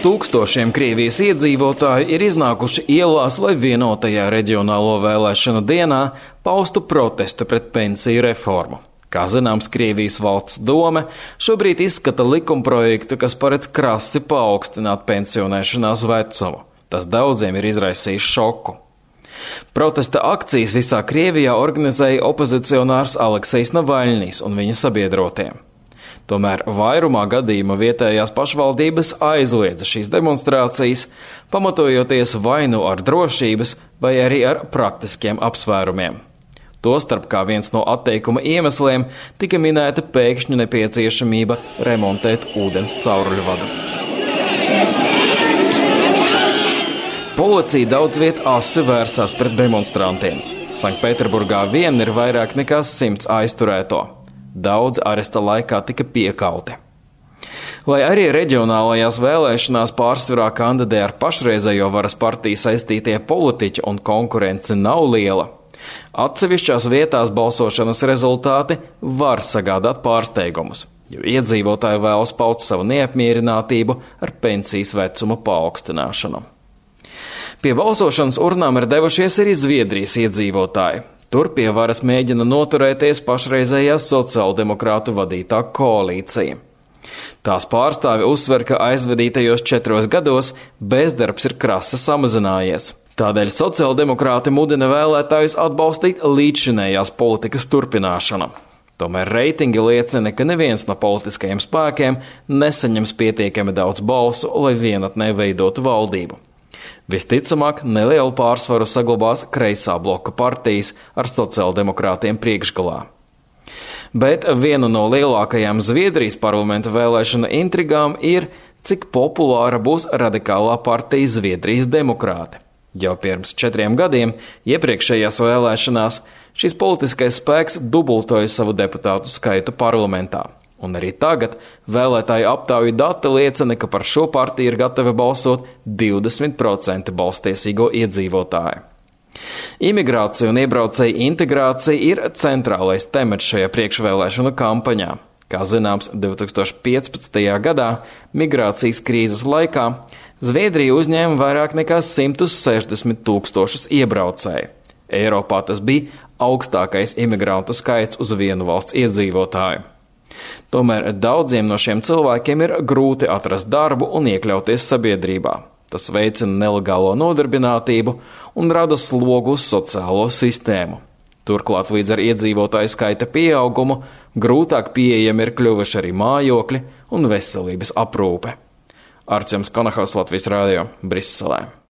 Tūkstošiem Krievijas iedzīvotāju ir iznākuši ielās, lai vienotajā reģionālo vēlēšanu dienā paustu protestu pret pensiju reformu. Kā zināms, Krievijas valsts dome šobrīd izskata likumprojektu, kas paredz krasi paaugstināt pensionēšanās vecumu. Tas daudziem ir izraisījis šoku. Protesta akcijas visā Krievijā organizēja opozicionārs Aleksejs Navaļņijs un viņa sabiedrotie. Tomēr vairumā gadījuma vietējās pašvaldības aizliedza šīs demonstrācijas, pamatojoties vai nu ar drošības, vai arī ar praktiskiem apsvērumiem. Tostarp kā viens no atteikuma iemesliem tika minēta pēkšņu nepieciešamība remontēt ūdens cauruļvadu. Policija daudz viet asi vērsās pret demonstrantiem. Sanktpēterburgā vien ir vairāk nekā 100 aizturēto. Daudz aresta laikā tika piekauti. Lai arī reģionālajās vēlēšanās pārsvarā kandidē ar pašreizējo varas partiju saistītie politiķi un konkurence nav liela, atsevišķās vietās balsošanas rezultāti var sagādāt pārsteigumus, jo iedzīvotāji vēlas paust savu neapmierinātību ar pensijas vecuma paaugstināšanu. Pie balsošanas urnām ir devušies arī Zviedrijas iedzīvotāji. Tur pie varas mēģina noturēties pašreizējā sociāldemokrātu vadītā koalīcija. Tās pārstāvi uzsver, ka aizvadītajos 4 gados bezdarbs ir krasi samazinājies. Tādēļ sociāldemokrāti mudina vēlētājus atbalstīt līdzšinējās politikas turpināšanu. Tomēr reitingi liecina, ka neviens no politiskajiem spēkiem nesaņems pietiekami daudz balsu, lai vienatnē veidotu valdību. Visticamāk, nelielu pārsvaru saglabās kreisā bloka partijas ar sociāldemokrātiem priekšgalā. Bet viena no lielākajām Zviedrijas parlamenta vēlēšanu intrigām ir, cik populāra būs radikālā partija Zviedrijas demokrāti. Jau pirms 4 gadiem, iepriekšējās vēlēšanās, šis politiskais spēks dubultoja savu deputātu skaitu parlamentā. Un arī tagad vēlētāju aptauju dati liecina, ka par šo partiju ir gatavi balsot 20% balstiesīgo iedzīvotāju. Imigrācija un iebraucēju integrācija ir centrālais temats šajā priekšvēlēšanu kampaņā. Kā zināms, 2015. gadā migrācijas krīzes laikā Zviedrija uzņēma vairāk nekā 160 000 iebraucēju. Eiropā tas bija augstākais imigrantu skaits uz vienu valsts iedzīvotāju. Tomēr daudziem no šiem cilvēkiem ir grūti atrast darbu un iekļauties sabiedrībā. Tas veicina nelegālo nodarbinātību un rada slogu uz sociālo sistēmu. Turklāt līdz ar iedzīvotāju skaita pieaugumu grūtāk pieejami ir kļuvuši arī mājokļi un veselības aprūpe. Artjoms Konahaus, Latvijas radio, Briselē.